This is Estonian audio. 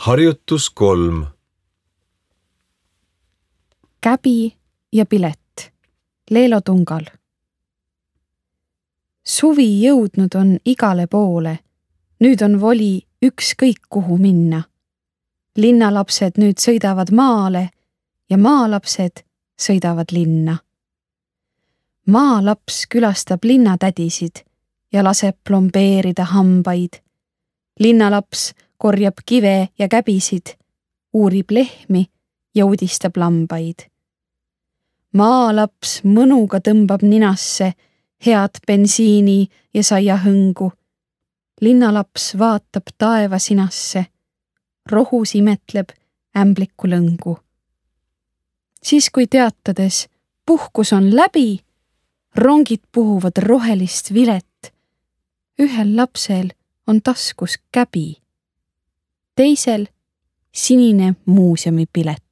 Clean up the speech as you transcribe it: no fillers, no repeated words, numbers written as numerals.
Harjutus 3. Käbi ja pilet. Leelo Tungal. Suvi jõudnud on igale poole. Nüüd on voli ükskõik kuhu minna. Linnalapsed nüüd sõidavad maale ja maalapsed sõidavad linna. Maalaps külastab linnatädisid ja laseb plombeerida hambaid. Linnalaps korjab kive ja käbisid, uurib lehmi ja udistab lambaid. Maalaps mõnuga tõmbab ninasse head bensiini ja saia hõngu. Linnalaps vaatab taevasinasse, rohus imetleb ämblikku lõngu. Siis kui teatades puhkus on läbi, rongid puhuvad rohelist vilet. Ühel lapsel on taskus käbi, teisel sinine muuseumipilet.